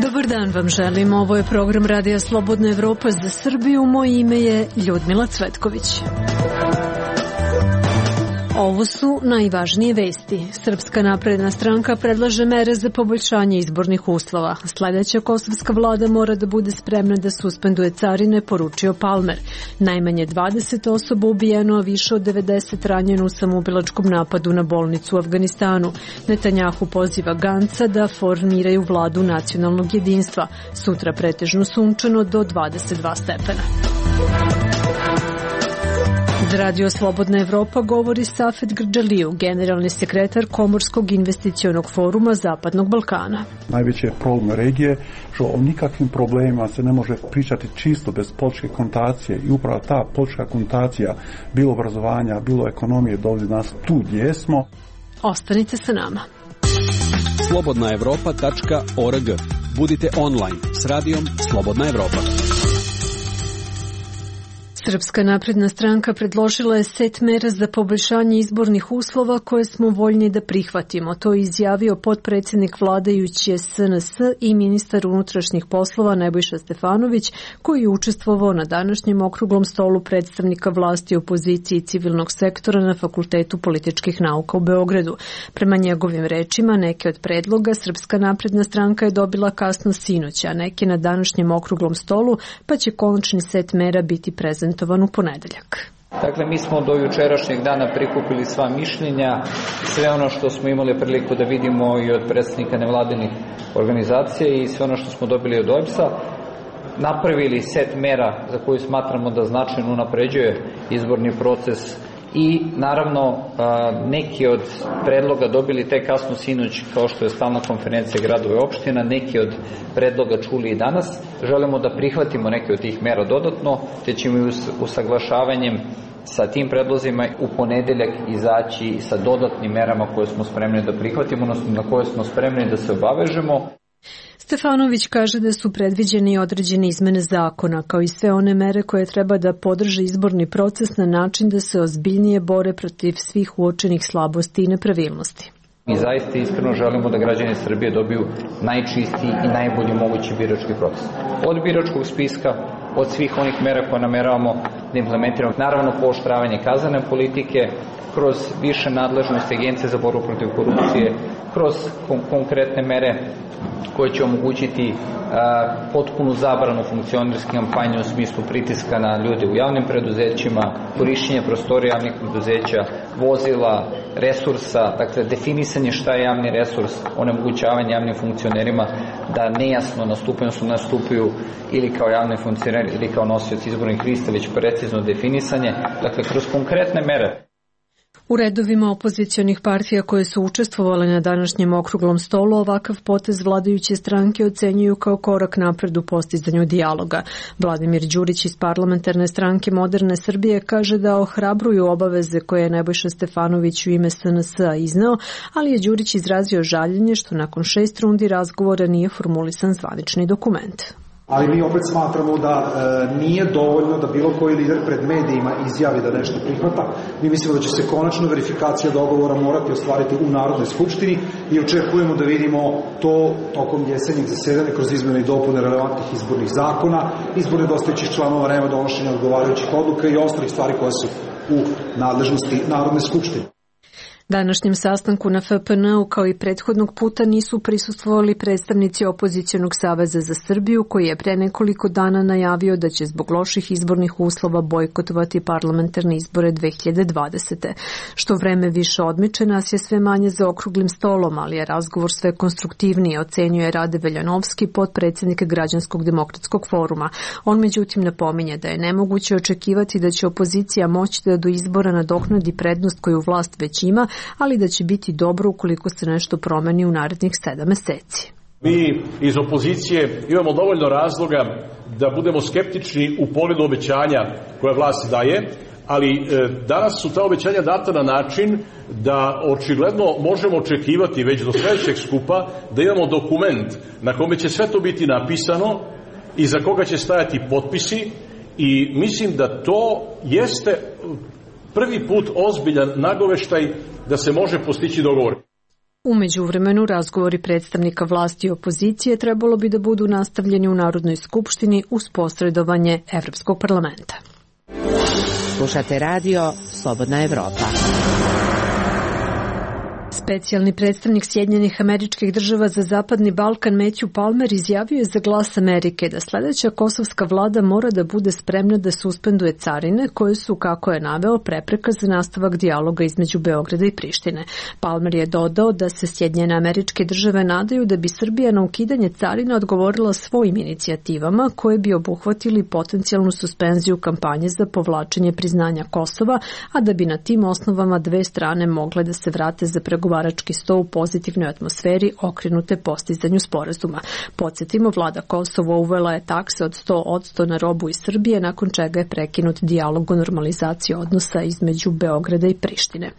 Dobar dan vam želim, ovo je program Radija Slobodna Evropa za Srbiju, moje ime je Ljudmila Cvetković. Ovo su najvažnije vesti. Srpska napredna stranka predlaže mere za poboljšanje izbornih uslova. Sledeća kosovska vlada mora da bude spremna da suspenduje carine, poručio Palmer. Najmanje 20 osoba ubijeno, a više od 90 ranjeno u samoubilačkom napadu na bolnicu u Afganistanu. Netanjahu poziva Ganca da formiraju vladu nacionalnog jedinstva. Sutra pretežno sunčano do 22 stepena. Za Radio Slobodna Evropa govori Safet Grđaliju, generalni sekretar Komorskog investicionog foruma Zapadnog Balkana. Najveći je problem regije, što o nikakvim problemima se ne može pričati čisto bez političke konotacije i upravo ta politička konotacija, bilo obrazovanja, bilo ekonomije, dovodi nas tu gdje smo. Ostanite sa nama. slobodnaevropa.org. Budite online s radijom Slobodna Evropa. Srpska napredna stranka predložila je set mera za poboljšanje izbornih uslova koje smo voljni da prihvatimo. To je izjavio potpredsjednik vladajuće SNS i ministar unutrašnjih poslova Nebojša Stefanović, koji je učestvovao na današnjem okruglom stolu predstavnika vlasti, opozicije i civilnog sektora na Fakultetu političkih nauka u Beogradu. Prema njegovim rečima, neke od predloga Srpska napredna stranka je dobila kasno sinoć, a neke na današnjem okruglom stolu, pa će konačni set mera biti prezentovan u ponedeljak. Dakle, mi smo do jučerašnjeg dana prikupili sva mišljenja, sve ono što smo imali priliku da vidimo i od predstavnika nevladinih organizacija i sve ono što smo dobili od OEBS-a, napravili set mera za koju smatramo da značajno unapređuje izborni proces i naravno neki od predloga dobili tek kasno sinoć, kao što je stalna konferencija gradova i opština, neki od predloga čuli i danas. Želimo da prihvatimo neke od tih mera dodatno, te ćemo i usaglašavanjem sa tim predlozima u ponedeljak izaći sa dodatnim merama koje smo spremni da prihvatimo, odnosno na koje smo spremni da se obavežemo. Stefanović kaže da su predviđene određene izmene zakona, kao i sve one mere koje treba da podrže izborni proces na način da se ozbiljnije bore protiv svih uočenih slabosti i nepravilnosti. Mi zaista iskreno želimo da građani Srbije dobiju najčistiji i najbolji mogući birački proces. Od biračkog spiska, od svih onih mera koje nameravamo da implementiramo, naravno pooštravanje kaznene politike, kroz više nadležnosti Agencije za borbu protiv korupcije, kroz konkretne mere koje će omogućiti potpunu zabranu funkcionerske kampanje u smislu pritiska na ljude u javnim preduzećima, korišćenje prostorija javnih preduzeća, vozila, resursa, dakle definisanje šta je javni resurs, onemogućavanje javnim funkcionerima da nejasno nastupaju ili kao javni funkcioneri ili kao nosioci izbornih lista, već precizno definisanje, dakle kroz konkretne mere. U redovima opozicionih partija koje su učestvovale na današnjem okruglom stolu ovakav potez vladajuće stranke ocenjuju kao korak napred u postizanju dijaloga. Vladimir Đurić iz parlamentarne stranke Moderne Srbije kaže da ohrabruju obaveze koje je Nebojša Stefanović u ime SNS-a izneo, ali je Đurić izrazio žaljenje što nakon 6 rundi razgovora nije formulisan zvanični dokument. Ali mi opet smatramo da nije dovoljno da bilo koji lider pred medijima izjavi da nešto prihvata. Mi mislimo da će se konačno verifikacija dogovora morati ostvariti u Narodnoj skupštini i očekujemo da vidimo to tokom jesenjeg zasedanja kroz izmjene i dopune relevantnih izbornih zakona, izbor nedostajućih članova REM-a, donošenja odgovarajućih odluka i ostalih stvari koje su u nadležnosti Narodne skupštine. Današnjem sastanku na FPN-u kao i prethodnog puta nisu prisustvovali predstavnici Opozicionog saveza za Srbiju, koji je pre nekoliko dana najavio da će zbog loših izbornih uslova bojkotovati parlamentarne izbore 2020. Što vreme više odmiče, nas je sve manje za okruglim stolom, ali je razgovor sve konstruktivniji, ocenjuje Rade Veljanovski, potpredsjednik Građanskog demokratskog foruma. On međutim napominje da je nemoguće očekivati da će opozicija moći da do izbora nadoknadi prednost koju vlast već ima, ali da će biti dobro ukoliko se nešto promeni u narednih 7 meseci. Mi iz opozicije imamo dovoljno razloga da budemo skeptični u pogledu obećanja koje vlast daje, ali danas su ta obećanja data na način da očigledno možemo očekivati već do sledećeg skupa da imamo dokument na kome će sve to biti napisano i za koga će stajati potpisi i mislim da to jeste prvi put ozbiljan nagoveštaj da se može postići dogovor. U međuvremenu, razgovori predstavnika vlasti i opozicije trebalo bi da budu nastavljeni u Narodnoj skupštini uz posredovanje Evropskog parlamenta. Slušate radio Slobodna Evropa. Specijalni predstavnik Sjedinjenih Američkih Država za Zapadni Balkan Matthew Palmer izjavio je za Glas Amerike da sledeća kosovska vlada mora da bude spremna da suspenduje carine koje su, kako je naveo, prepreka za nastavak dijaloga između Beograda i Prištine. Palmer je dodao da se Sjedinjene Američke Države nadaju da bi Srbija na ukidanje carina odgovorila svojim inicijativama koje bi obuhvatili potencijalnu suspenziju kampanje za povlačenje priznanja Kosova, a da bi na tim osnovama dve strane mogle da se vrate za pregovarački sto u pozitivnoj atmosferi okrenute postizanju sporazuma. Podsjetimo, vlada Kosova uvela je takse od 100% na robu iz Srbije, nakon čega je prekinut dijalog o normalizaciji odnosa između Beograda i Prištine.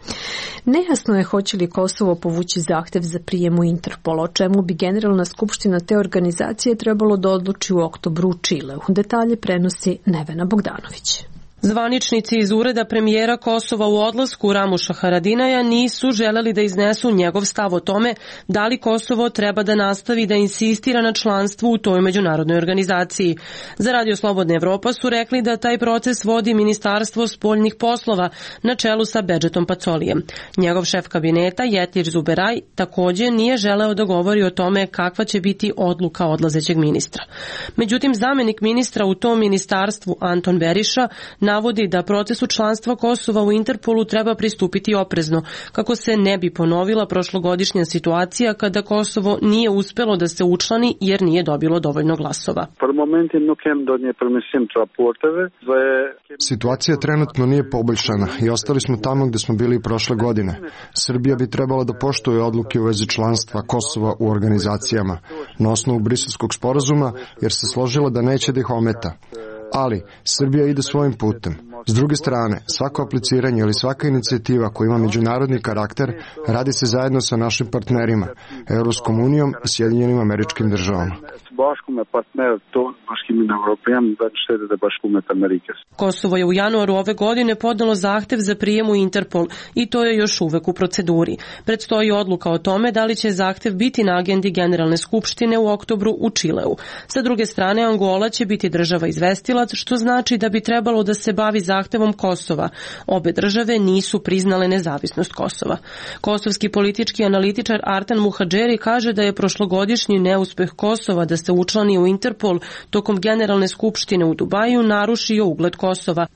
Nejasno je hoće li Kosovo povući zahtev za prijem u Interpol, o čemu bi Generalna skupština te organizacije trebalo da odluči u oktobru u Čileu. Detalje prenosi Nevena Bogdanović. Zvaničnici iz ureda premijera Kosova u odlasku Ramuša Haradinaja nisu želeli da iznesu njegov stav o tome da li Kosovo treba da nastavi da insistira na članstvu u toj međunarodnoj organizaciji. Za Radio Slobodna Evropa su rekli da taj proces vodi Ministarstvo spoljnih poslova na čelu sa Bedžetom Pacolijem. Njegov šef kabineta Jetlir Zuberaj također nije želeo da govori o tome kakva će biti odluka odlazećeg ministra. Međutim, zamenik ministra u tom ministarstvu Anton Beriša navodi da procesu članstva Kosova u Interpolu treba pristupiti oprezno, kako se ne bi ponovila prošlogodišnja situacija kada Kosovo nije uspelo da se učlani jer nije dobilo dovoljno glasova. Situacija trenutno nije poboljšana i ostali smo tamo gde smo bili prošle godine. Srbija bi trebala da poštuje odluke u vezi članstva Kosova u organizacijama na osnovu Briselskog sporazuma, jer se složila da neće da ih ometa. Ali Srbija ide svojim putem. S druge strane, svako apliciranje ili svaka inicijativa koja ima međunarodni karakter radi se zajedno sa našim partnerima, Evropskom unijom i Sjedinjenim Američkim Državama. Kosovo je u januaru ove godine podnelo zahtev za prijem u Interpol i to je još uvek u proceduri. Predstoji odluka o tome da li će zahtev biti na agendi Generalne skupštine u oktobru u Čileu. Sa druge strane, Angola će biti država izvestilac, što znači da bi trebalo da se bavi zahtevom Kosova. Obe države nisu priznale nezavisnost Kosova. Kosovski politički analitičar Artan Muhadžeri kaže da je prošlogodišnji neuspeh Kosova da se učlani u Interpol tokom Generalne skupštine u Dubaju narušio ugled Kosova.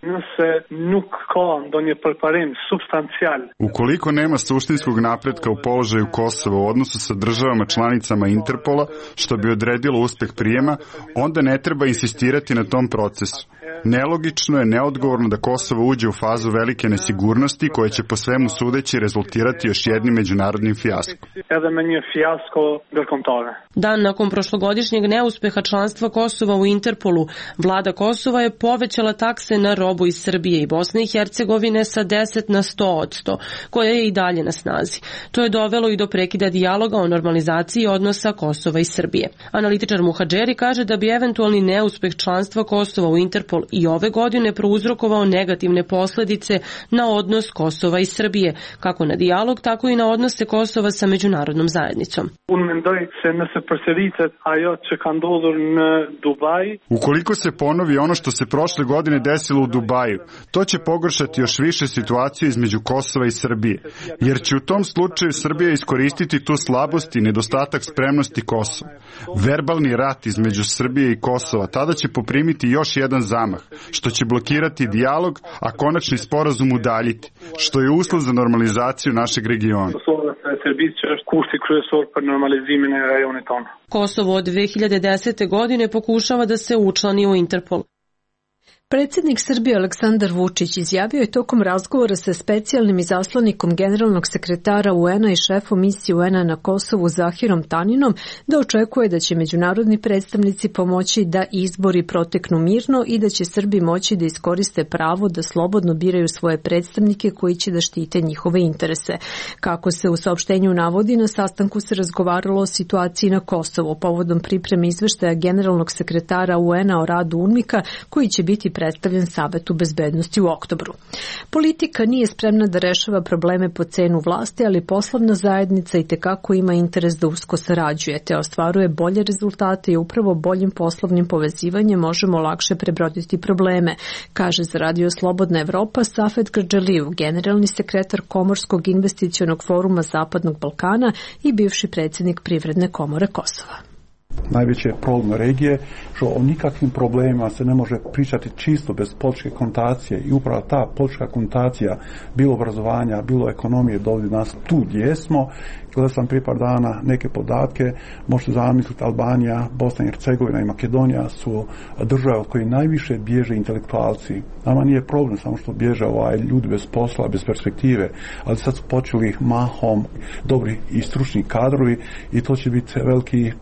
Ukoliko nema suštinskog napretka u položaju Kosova u odnosu sa državama članicama Interpola, što bi odredilo uspeh prijema, onda ne treba insistirati na tom procesu. Nelogično je, neodgovorno da Kosovo uđe u fazu velike nesigurnosti koja će po svemu sudeći rezultirati još jednim međunarodnim fijaskom. Dan nakon prošlogodišnjeg neuspeha članstva Kosova u Interpolu, vlada Kosova je povećala takse na robu iz Srbije i Bosne i Hercegovine sa 10 na 100%, koja je i dalje na snazi. To je dovelo i do prekida dijaloga o normalizaciji odnosa Kosova i Srbije. Analitičar Muhadžeri kaže da bi eventualni neuspeh članstva Kosova u Interpol i ove godine prouzrokovao negativne posledice na odnos Kosova i Srbije, kako na dijalog, tako i na odnose Kosova sa međunarodnom zajednicom. Ukoliko se ponovi ono što se prošle godine desilo u Dubaju, to će pogoršati još više situaciju između Kosova i Srbije, jer će u tom slučaju Srbija iskoristiti tu slabost i nedostatak spremnosti Kosova. Verbalni rat između Srbije i Kosova tada će poprimiti još jedan zamah, što će blokirati dijalog, a konačni sporazum udaljiti, što je uslov za normalizaciju našeg regiona. Kosovo od 2010. godine pokušava da se učlani u Interpol. Predsjednik Srbije Aleksandar Vučić izjavio je tokom razgovora sa specijalnim izaslanikom generalnog sekretara UN-a i šefom misije UN-a na Kosovu Zahirom Taninom da očekuje da će međunarodni predstavnici pomoći da izbori proteknu mirno i da će Srbi moći da iskoriste pravo da slobodno biraju svoje predstavnike koji će da štite njihove interese. Kako se u saopštenju navodi, na sastanku se razgovaralo o situaciji na Kosovu povodom pripreme izveštaja generalnog sekretara UN-a o radu UNMIK-a koji će biti predstavljen Savetu bezbednosti u oktobru. Politika nije spremna da rešava probleme po cenu vlasti, ali poslovna zajednica i tekako ima interes da usko sarađuje, te ostvaruje bolje rezultate i upravo boljim poslovnim povezivanjem možemo lakše prebroditi probleme, kaže za Radio Slobodna Evropa Safet Grdžalijev, generalni sekretar Komorskog investicionog foruma Zapadnog Balkana i bivši predsjednik Privredne komore Kosova. Najveći je problem regije što o nikakvim problemima se ne može pričati čisto bez političke kontacije i upravo ta politička kontacija bilo obrazovanja, bilo ekonomije dovodi nas tu gdje smo. Gledao sam prije par dana neke podatke, možete zamisliti Albanija, Bosna i Hercegovina i Makedonija su države od koje najviše bježe intelektualci. Nama nije problem samo što bježe ljudi bez posla, bez perspektive, ali sad su počeli mahom dobri i stručni kadrovi i to će biti veliki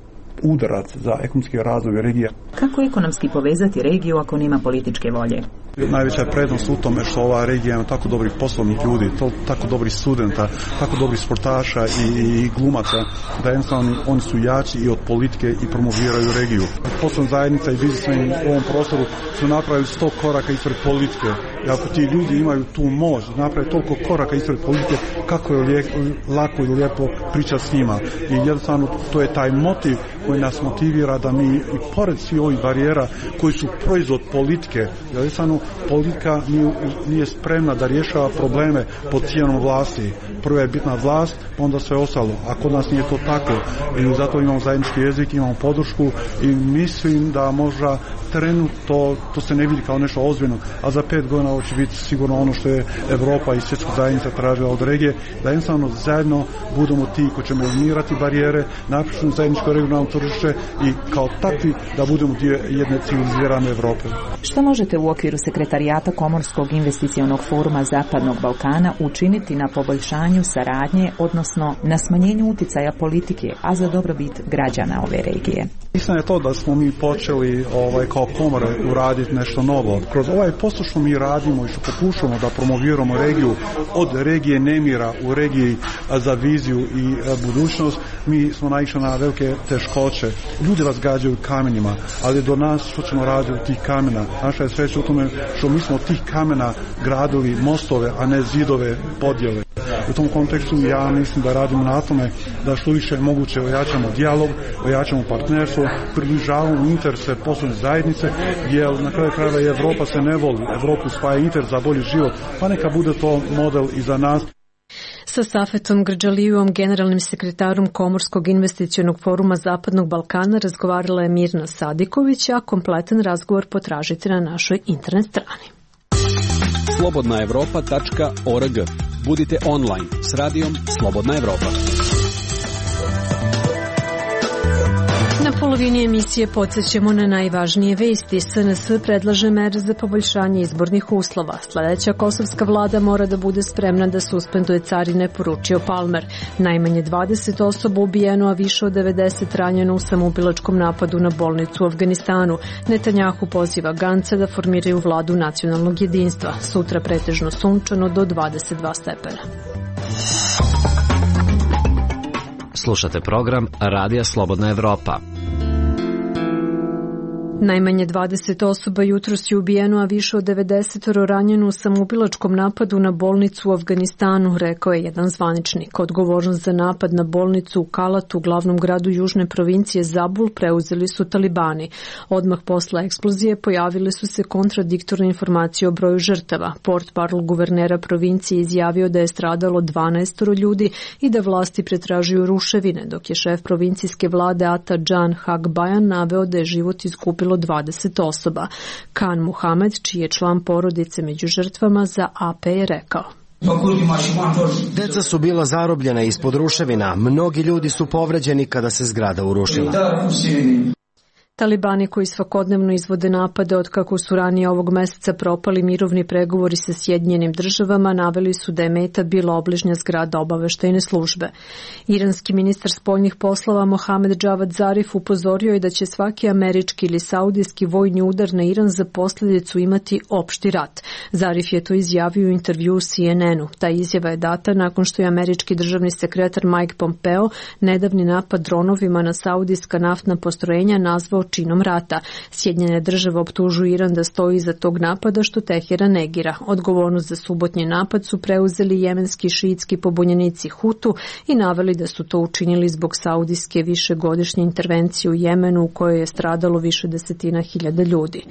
udarac za ekonomski razvoj regije. Kako ekonomski povezati regiju ako nema političke volje? Najveća je prednost u tome što ova regija ima tako dobrih poslovnih ljudi, tako dobrih studenta, tako dobrih sportaša i glumaca, da jednostavno oni su jači i od politike i promoviraju regiju. Poslovna zajednica i biznismeni u ovom prostoru su napravili 100 koraka ispred politike. I ako ti ljudi imaju tu moć da naprave toliko koraka ispred politike, kako je lako i lijepo pričati s njima. I jednostavno to je taj motiv koji nas motivira da mi i pored svih ovih barijera koji su proizvod politike, jednostavno politika nije spremna da rješava probleme pod cijenom vlasti. Prva je bitna vlast, pa onda sve ostalo. A kod nas nije to tako. I zato imamo zajednički jezik, imamo podršku i mislim da možda trenutno to se ne vidi kao nešto ozbiljno, a za 5 godina ovo će biti sigurno ono što je Evropa i svjetska zajednica tražila od regije, da jednostavno zajedno budemo ti koji ćemo eliminirati barijere, napišemo zajedničko regionalno tržište i kao takvi da budemo dio jedne civilizirane Evrope. Što možete u okviru sekretarijata Komorskog investicionog foruma Zapadnog Balkana učiniti na poboljšanju saradnje, odnosno na smanjenju uticaja politike, a za dobrobit građana ove regije? Mislim je to da smo mi počeli kao komore uraditi nešto novo. Kroz ovaj posao što mi radimo i što pokušamo da promoviramo regiju od regije nemira u regiji za viziju i budućnost, mi smo naišli na velike teškoće. Ljudi vas gađaju kamenjima, ali do nas što ćemo raditi od tih kamena. Naša je sreća u tome što mi smo od tih kamena gradili mostove, a ne zidove podjele. U tom kontekstu ja mislim da radimo na tome da što više moguće ojačamo dijalog, ojačamo partnerstvo, približavamo interese poslovne zajednice, jer na kraju krajeva Evropa se ne voli, Evropu spaja interes za bolji život, pa neka bude to model i za nas. Sa Safetom Grdžalijevom, generalnim sekretarom Komorskog investicionog foruma Zapadnog Balkana, razgovarala je Mirna Sadiković, a kompletan razgovor potražite na našoj internet strani. slobodnaevropa.org. Budite online s radijom Slobodna Evropa. Na polovini emisije podsjećamo na najvažnije vesti. SNS predlaže mere za poboljšanje izbornih uslova. Sljedeća kosovska vlada mora da bude spremna da suspenduje carine, poručio Palmer. Najmanje 20 osoba ubijeno, a više od 90 ranjeno u samoubilačkom napadu na bolnicu u Afganistanu. Netanjahu poziva Ganca da formiraju vladu nacionalnog jedinstva. Sutra pretežno sunčano do 22 stepena. Slušate program Radija Slobodna Evropa. Najmanje 20 osoba jutros je ubijeno, a više od 90 ranjeno u samoubilačkom napadu na bolnicu u Afganistanu, rekao je jedan zvaničnik. Odgovornost za napad na bolnicu u Kalatu, glavnom gradu južne provincije Zabul, preuzeli su talibani. Odmah posle eksplozije pojavile su se kontradiktorne informacije o broju žrtava. Portparol guvernera provincije izjavio da je stradalo 12 ljudi i da vlasti pretražuju ruševine, dok je šef provincijske vlade Ata Džan Hagbajan naveo da je život izgubilo 20 osoba. Khan Muhamed, čiji je član porodice među žrtvama, za AP je rekao: Deca su bila zarobljena ispod ruševina. Mnogi ljudi su povređeni kada se zgrada urušila. Talibani koji svakodnevno izvode napade od kako su ranije ovog meseca propali mirovni pregovori sa Sjedinjenim državama, naveli su da je meta bila obližnja zgrada obaveštajne službe. Iranski ministar spoljnih poslova Mohamed Javad Zarif upozorio je da će svaki američki ili saudijski vojni udar na Iran za posljedicu imati opšti rat. Zarif je to izjavio u intervju CNN-u. Ta izjava je data nakon što je američki državni sekretar Mike Pompeo nedavni napad dronovima na saudijska naftna postrojenja nazvao činom rata. Sjedinjene države optužuju Iran da stoji iza tog napada, što Teheran negira. Odgovornost za subotnji napad su preuzeli jemenski šiitski pobunjenici Hutu i naveli da su to učinili zbog saudijske višegodišnje intervencije u Jemenu u kojoj je stradalo više desetina hiljada ljudi.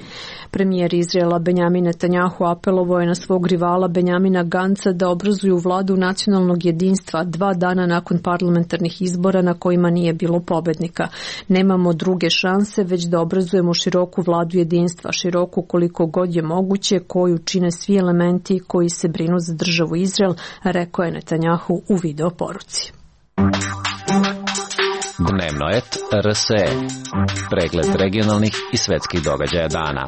Premijer Izraela Benjamin Netanjahu apelovao je na svog rivala Benjamina Ganca da obrazuju vladu nacionalnog jedinstva 2 dana nakon parlamentarnih izbora na kojima nije bilo pobednika. Nemamo druge šanse, već da obrazujemo široku vladu jedinstva, široku koliko god je moguće, koju čine svi elementi koji se brinu za državu Izrael, rekao je Netanjahu u video poruci. Dnevnoet RSE. Pregled regionalnih i svetskih događaja dana.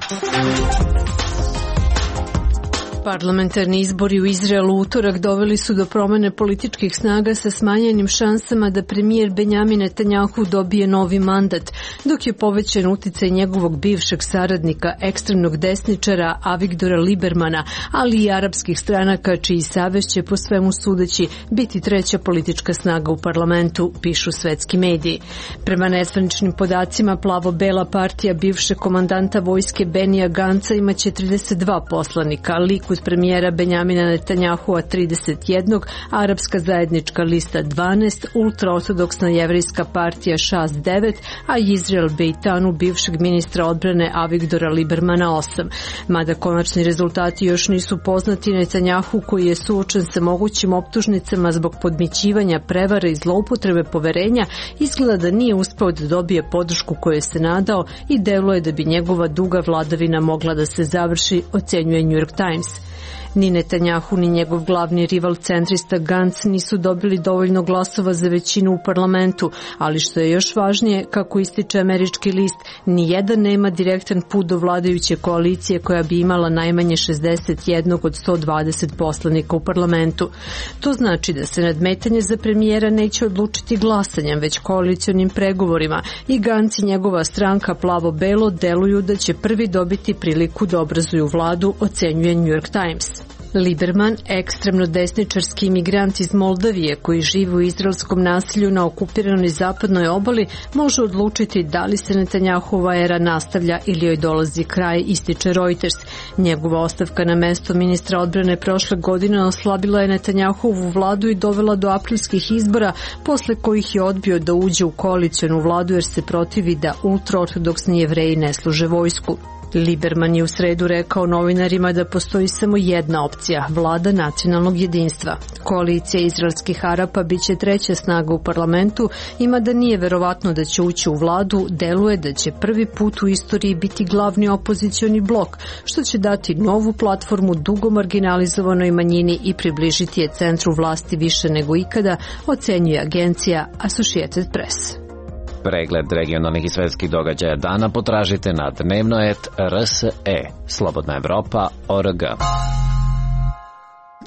Parlamentarni izbori u Izraelu u utorak doveli su do promene političkih snaga sa smanjenim šansama da premijer Benjamin Netanjahu dobije novi mandat, dok je povećan uticaj njegovog bivšeg saradnika, ekstremnog desničara Avigdora Libermana, ali i arapskih stranaka čiji savez će po svemu sudeći biti treća politička snaga u parlamentu, pišu svetski mediji. Prema nezvaničnim podacima, plavo-bela partija bivšeg komandanta vojske Benija Ganca imaće 32 poslanika, Likud premijera Benjamina Netanjahua 31, Arapska zajednička lista 12, ultraortodoksna jevrejska partija Šas 9, a Izrael Bejtanu bivšeg ministra odbrane Avigdora Libermana 8. Mada konačni rezultati još nisu poznati, Netanjahu, koji je suočen sa mogućim optužnicama zbog podmićivanja, prevara i zloupotrebe poverenja, izgleda da nije uspeo da dobije podršku koju se nadao i deluje da bi njegova duga vladavina mogla da se završi, ocenjuje New York Times. Ni Netanjahu ni njegov glavni rival centrista Gantz nisu dobili dovoljno glasova za većinu u parlamentu, ali što je još važnije, kako ističe američki list, ni jedan nema direktan put do vladajuće koalicije koja bi imala najmanje 61 od 120 poslanika u parlamentu. To znači da se nadmetanje za premijera neće odlučiti glasanjem, već koalicionim pregovorima i Gantz i njegova stranka plavo-belo deluju da će prvi dobiti priliku da obrazuju vladu, ocenjuje New York Times. Liberman, ekstremno desničarski imigrant iz Moldavije koji živi u izraelskom naselju na okupiranoj zapadnoj obali, može odlučiti da li se Netanjahova era nastavlja ili joj dolazi kraj, ističe Reuters. Njegova ostavka na mesto ministra odbrane prošle godine oslabila je Netanjahovu vladu i dovela do aprilskih izbora, posle kojih je odbio da uđe u koalicionu vladu jer se protivi da ultraortodoksni Jevreji ne služe vojsku. Liberman je u sredu rekao novinarima da postoji samo jedna opcija, vlada nacionalnog jedinstva. Koalicija izraelskih Arapa biće treća snaga u parlamentu, ima da nije verovatno da će ući u vladu, deluje da će prvi put u istoriji biti glavni opozicioni blok, što će dati novu platformu dugo marginalizovanoj manjini i približiti je centru vlasti više nego ikada, ocenjuje agencija Associated Press. Pregled regionalnih i svetskih događaja dana potražite na dnevnoet RSE, slobodnaevropa.org.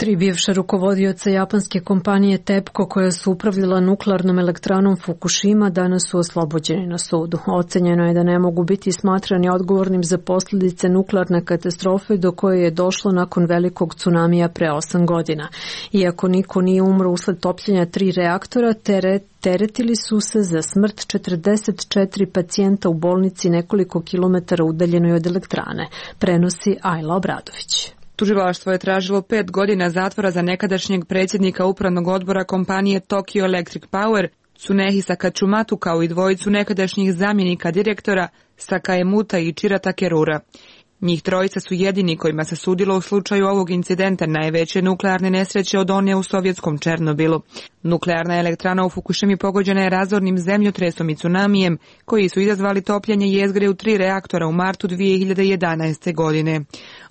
3 bivša rukovodioca japanske kompanije TEPCO koja su upravljala nuklearnom elektranom Fukushima danas su oslobođeni na sudu. Ocenjeno je da ne mogu biti smatrani odgovornim za posljedice nuklearne katastrofe do koje je došlo nakon velikog tsunamija pre 8 godina. Iako niko nije umro usled topljenja 3 reaktora, teretili su se za smrt 44 pacijenta u bolnici nekoliko kilometara udaljenoj od elektrane, prenosi Ajla Obradović. Tužilaštvo je tražilo 5 godina zatvora za nekadašnjeg predsjednika upravnog odbora kompanije Tokyo Electric Power, Tsunehisa Katsumatu, kao i dvojicu nekadašnjih zamjenika direktora Sakaemuta i Ichira Takerura. Njih trojica su jedini kojima se sudilo u slučaju ovog incidenta, najveće nuklearne nesreće od one u sovjetskom Černobilu. Nuklearna elektrana u Fukushimi pogođena je razornim zemljotresom i tsunamijem, koji su izazvali topljenje jezgre u 3 reaktora u martu 2011. godine.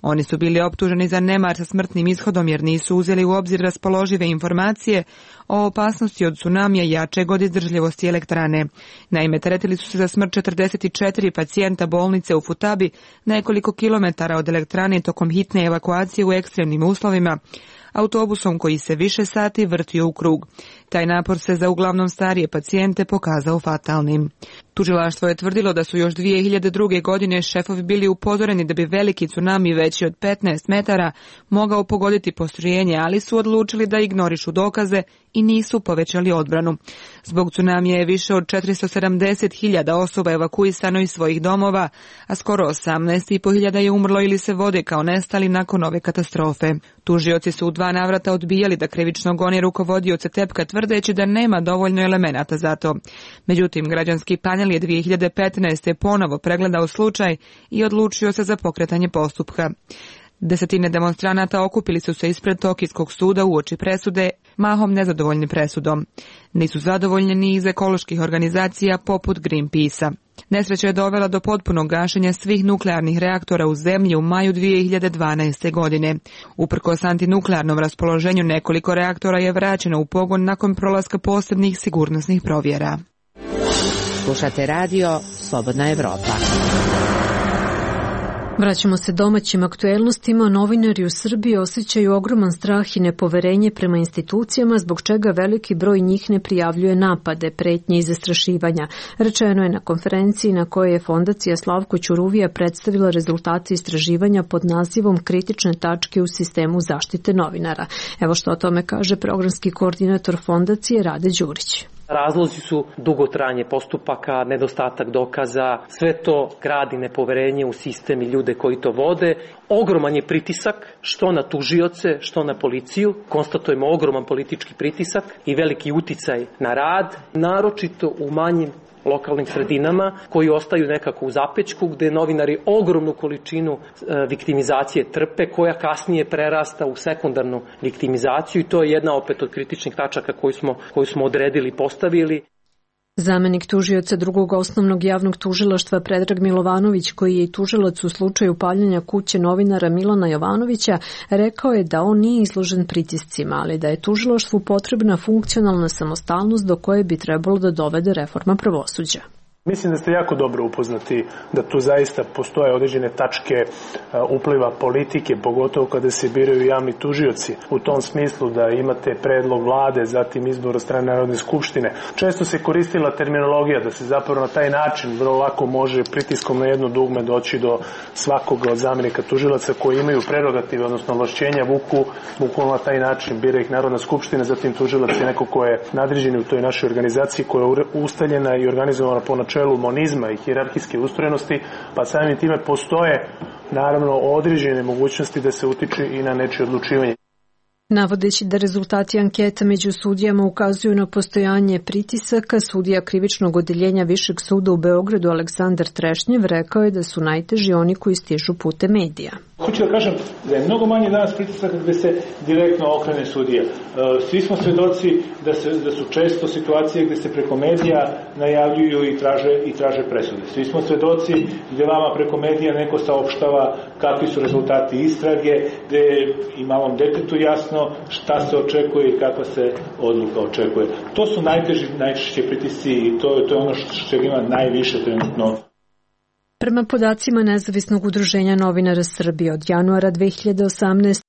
Oni su bili optuženi za nemar sa smrtnim ishodom jer nisu uzeli u obzir raspoložive informacije o opasnosti od tsunamija jačeg od izdržljivosti elektrane. Naime, teretili su se za smrt 44 pacijenta bolnice u Futabi, nekoliko kilometara od elektrane tokom hitne evakuacije u ekstremnim uslovima, autobusom koji se više sati vrtio u krug. Taj napor se za uglavnom starije pacijente pokazao fatalnim. Tužilaštvo je tvrdilo da su još 2002. godine šefovi bili upozoreni da bi veliki tsunami veći od 15 metara mogao pogoditi postrojenje, ali su odlučili da ignorišu dokaze i nisu povećali odbranu. Zbog tsunamija je više od 470.000 osoba evakuisano iz svojih domova, a skoro 18.500 je umrlo ili se vode kao nestali nakon ove katastrofe. Tužioci su u 2 navrata odbijali da krivično gone rukovodioce Tepka tvrdeći da nema dovoljno elemenata za to. Međutim, građanski panel je 2015. ponovo pregledao slučaj i odlučio se za pokretanje postupka. Desetine demonstranata okupili su se ispred Tokijskog suda uoči presude, mahom nezadovoljni presudom. Nisu zadovoljni ni iz ekoloških organizacija poput Greenpeace-a. Nesreća je dovela do potpunog gašenja svih nuklearnih reaktora u zemlji u maju 2012. godine. Uprkos antinuklearnom raspoloženju, nekoliko reaktora je vraćeno u pogon nakon prolaska posebnih sigurnosnih provjera. Slušate radio Slobodna Evropa. Vraćamo se domaćim aktuelnostima. Novinari u Srbiji osjećaju ogroman strah i nepoverenje prema institucijama, zbog čega veliki broj njih ne prijavljuje napade, pretnje i zastrašivanja. Rečeno je na konferenciji na kojoj je Fondacija Slavko Ćuruvija predstavila rezultate istraživanja pod nazivom Kritične tačke u sistemu zaštite novinara. Evo što o tome kaže programski koordinator Fondacije Rade Đurić. Razlozi su dugotrajanje postupaka, nedostatak dokaza, sve to gradi nepoverenje u sistem i ljude koji to vode. Ogroman je pritisak, što na tužioce, što na policiju. Konstatujemo ogroman politički pritisak i veliki uticaj na rad, naročito u manjim lokalnim sredinama koji ostaju nekako u zapećku, gde novinari ogromnu količinu viktimizacije trpe, koja kasnije prerasta u sekundarnu viktimizaciju, i to je jedna opet od kritičnih tačaka koju smo odredili i postavili. Zamenik tužioca drugog osnovnog javnog tužilaštva Predrag Milovanović, koji je i tužilac u slučaju paljenja kuće novinara Milana Jovanovića, rekao je da on nije izložen pritiscima, ali da je tužilaštvu potrebna funkcionalna samostalnost do koje bi trebalo da dovede reforma pravosuđa. Mislim da ste jako dobro upoznati da tu zaista postoje određene tačke upliva politike, pogotovo kada se biraju javni tužioci. U tom smislu da imate predlog vlade, zatim izbor od strane Narodne skupštine. Često se koristila terminologija da se zapravo na taj način vrlo lako može pritiskom na jedno dugme doći do svakoga od zamenika tužilaca koji imaju prerogative, odnosno ovlašćenja, vuku na taj način, bira ih Narodna skupština, zatim tužilac je neko ko je nadređen u toj našoj organizaciji koja je ustaljena i organizovana po načelu monizma i hijerarhijske ustrojenosti, pa samim time postoje naravno određene mogućnosti da se utiče i na nečije odlučivanje. Navodeći da rezultati anketa među sudijama ukazuju na postojanje pritisaka, sudija krivičnog odeljenja Višeg suda u Beogradu Aleksandar Trešnjev rekao je da su najteži oni koji stižu putem medija. Hoću da kažem da je mnogo manje danas pritisaka gde se direktno okrene sudija. Svi smo svedoci da su često situacije gde se preko medija najavljuju i traže presude. Svi smo svedoci gde vama preko medija neko saopštava kakvi su rezultati istrage, gde i malom detetu jasno šta se očekuje i kakva se odluka očekuje. To su najčešće pritisci i to je ono što ima najviše trenutno. Prema podacima Nezavisnog udruženja novinara Srbije, od januara 2018.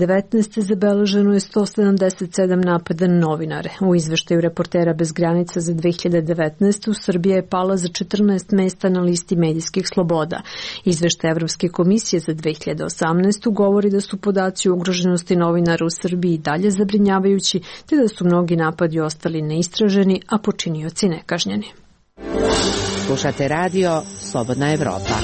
2019. zabeleženo je 177 napada na novinare. U izveštaju Reportera bez granica za 2019. Srbija je pala za 14 mesta na listi medijskih sloboda. Izveštaj Evropske komisije za 2018. govori da su podaci o ugroženosti novinara u Srbiji dalje zabrinjavajući, te da su mnogi napadi ostali neistraženi, a počinioci nekažnjeni. Slušate radio Slobodna Evropa.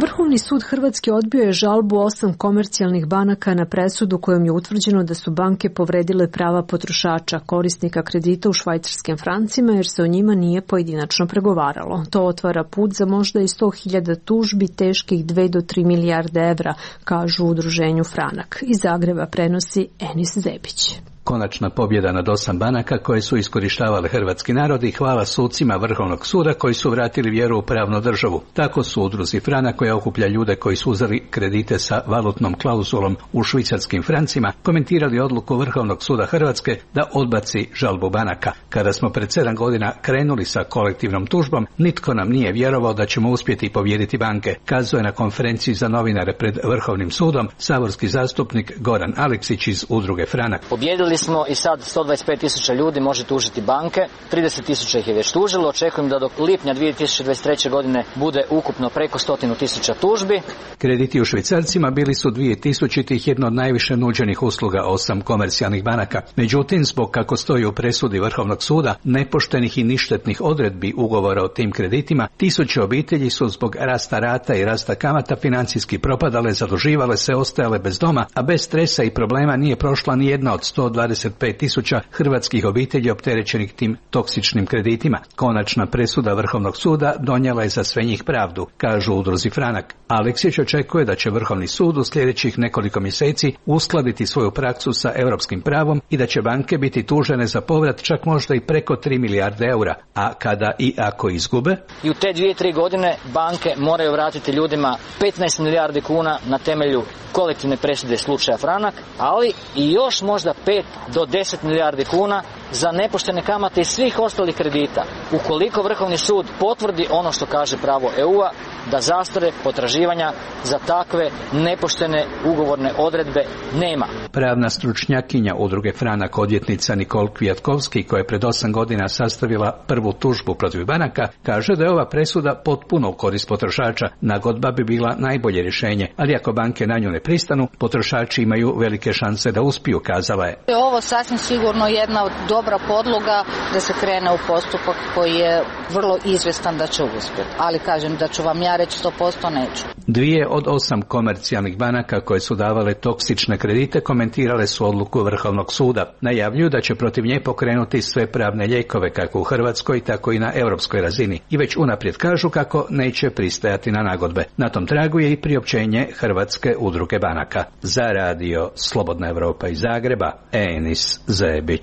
Vrhovni sud Hrvatske odbio je žalbu 8 komercijalnih banaka na presudu kojom je utvrđeno da su banke povredile prava potrošača, korisnika kredita u švajcarskim francima, jer se o njima nije pojedinačno pregovaralo. To otvara put za možda i 100.000 tužbi teških 2 do 3 milijarde evra, kažu u udruženju Franak. Iz Zagreba prenosi Enis Zebić. Konačna pobjeda nad 8 banaka koje su iskorištavale hrvatski narod i hvala sucima Vrhovnog suda koji su vratili vjeru u pravnu državu. Tako su udruzi Franak, koja okuplja ljude koji su uzeli kredite sa valutnom klauzulom u švicarskim francima, komentirali odluku Vrhovnog suda Hrvatske da odbaci žalbu banaka. Kada smo pred 7 godina krenuli sa kolektivnom tužbom, nitko nam nije vjerovao da ćemo uspjeti pobijediti banke, kazao je na konferenciji za novinare pred Vrhovnim sudom saborski zastupnik Goran Aleksić iz udruge Franak. Pobjedili Vidjeli smo i sad 125.000 ljudi može tužiti banke, 30.000 ih je već tužilo, očekujem da do lipnja 2023. godine bude ukupno preko 100.000 tužbi. Krediti u švicarcima bili su 2000 jedno od najviše nuđenih usluga 8 komercijalnih banaka. Međutim, zbog kako stoji u presudi Vrhovnog suda, nepoštenih i ništetnih odredbi ugovora o tim kreditima, tisuće obitelji su zbog rasta rata i rasta kamata financijski propadale, zaduživale se, ostajale bez doma, a bez stresa i problema nije prošla ni jedna od 125.000 hrvatskih obitelji opterećenih tim toksičnim kreditima. Konačna presuda Vrhovnog suda donijela je za sve njih pravdu, kažu u udruzi Franak. Aleksić očekuje da će Vrhovni sud u sljedećih nekoliko mjeseci uskladiti svoju praksu sa europskim pravom i da će banke biti tužene za povrat čak možda i preko 3 milijarde eura, a kada i ako izgube? I u te 2-3 godine banke moraju vratiti ljudima 15 milijardi kuna na temelju kolektivne presude slučaja Franak, ali i još možda 5 do 10 milijardi kuna za nepoštene kamate i svih ostalih kredita. Ukoliko Vrhovni sud potvrdi ono što kaže pravo EU-a, da zastare potraživanja za takve nepoštene ugovorne odredbe nema. Pravna stručnjakinja udruge Franak, odvjetnica Nikol Kvjatkovski, koja je pred 8 godina sastavila prvu tužbu protiv banaka, kaže da je ova presuda potpuno u korist potrošača. Nagodba bi bila najbolje rješenje, ali ako banke na nju ne pristanu, potrošači imaju velike šanse da uspiju, kazala je. Ovo sasvim sigurno jedna dobra podloga da se krene u postupak koji je vrlo izvjestan da će uspjeti. Ali kažem da ću vam ja reći 100% neću. 2 od 8 komercijalnih banaka koje su davale toksične kredite komentirale su odluku Vrhovnog suda. Najavljuju da će protiv nje pokrenuti sve pravne lijekove kako u Hrvatskoj, tako i na europskoj razini. I već unaprijed kažu kako neće pristajati na nagodbe. Na tom tragu je i priopćenje Hrvatske udruge banaka. Za radio Slobodna Evropa iz Zagreba, Enis Zebić.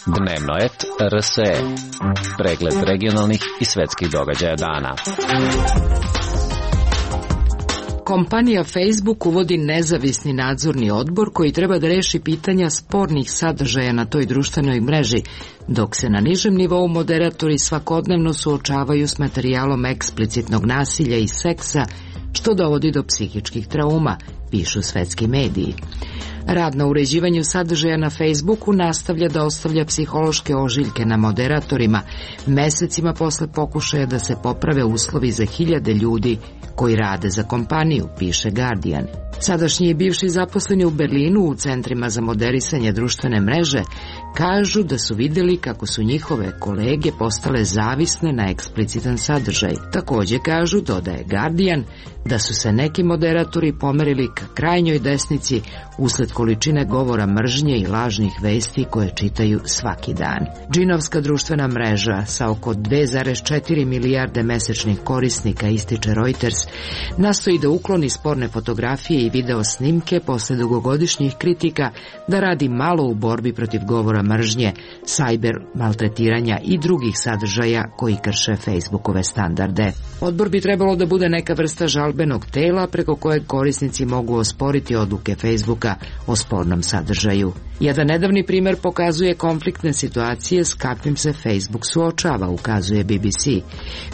Dnevnoet RSE. Pregled regionalnih i svetskih događaja dana. Kompanija Facebook uvodi nezavisni nadzorni odbor koji treba da reši pitanja spornih sadržaja na toj društvenoj mreži, dok se na nižem nivou moderatori svakodnevno suočavaju s materijalom eksplicitnog nasilja i seksa, što dovodi do psihičkih trauma, pišu svetski mediji. Rad na uređivanju sadržaja na Facebooku nastavlja da ostavlja psihološke ožiljke na moderatorima, mesecima posle pokušaja da se poprave uslovi za hiljade ljudi koji rade za kompaniju, piše Guardian. Sadašnji i bivši zaposleni u Berlinu u centrima za moderisanje društvene mreže kažu da su vidjeli kako su njihove kolege postale zavisne na eksplicitan sadržaj. Također kažu, dodaje Guardian, da su se neki moderatori pomerili ka krajnjoj desnici usled količine govora mržnje i lažnih vesti koje čitaju svaki dan. Džinovska društvena mreža sa oko 2,4 milijarde mesečnih korisnika, ističe Reuters, nastoji da ukloni sporne fotografije i video snimke posle dugogodišnjih kritika da radi malo u borbi protiv govora mržnje, sajber maltretiranja i drugih sadržaja koji krše Facebookove standarde. Odbor bi trebalo da bude neka vrsta žalbenog tela preko kojeg korisnici mogu osporiti odluke Facebooka o spornom sadržaju. Jedan nedavni primjer pokazuje konfliktne situacije s kakvim se Facebook suočava, ukazuje BBC.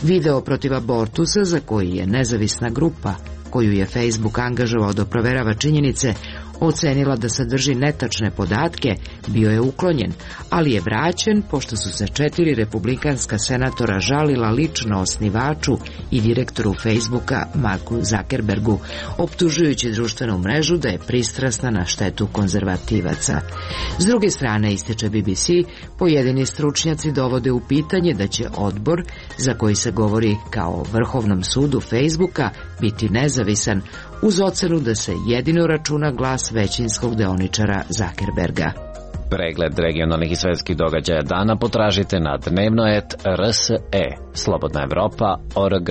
Video protiv abortusa, za koji je nezavisna grupa koju je Facebook angažovao da proverava činjenice, ocenila da sadrži netačne podatke, bio je uklonjen, ali je vraćen pošto su se 4 republikanska senatora žalila lično osnivaču i direktoru Facebooka Marku Zuckerbergu, optužujući društvenu mrežu da je pristrasna na štetu konzervativaca. S druge strane, ističe BBC, pojedini stručnjaci dovode u pitanje da će odbor, za koji se govori kao o Vrhovnom sudu Facebooka, biti nezavisan, uz ocenu da se jedino računa glas većinskog deoničara Zuckerberga. Pregled regionalnih i svetskih događaja dana potražite na dnevnoet RSE, Slobodna Evropa.org.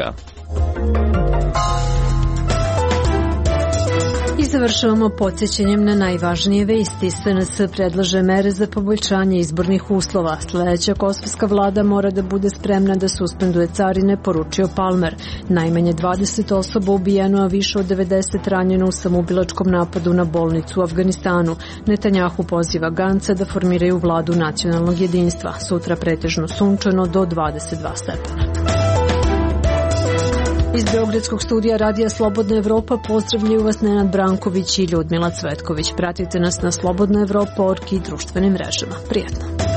I završavamo podsjećanjem na najvažnije vesti. SNS predlaže mere za poboljšanje izbornih uslova. Sljedeća kosovska vlada mora da bude spremna da suspenduje carine, poručio Palmer. Najmanje 20 osoba ubijeno, a više od 90 ranjeno u samoubilačkom napadu na bolnicu u Afganistanu. Netanjahu poziva Ganca da formiraju vladu nacionalnog jedinstva. Sutra pretežno sunčano do 22 stepena. Iz Beogradskog studija Radija Slobodna Evropa pozdravljaju vas Nenad Branković i Ljudmila Cvetković. Pratite nas na slobodnaevropa.org i društvenim mrežama. Prijetno.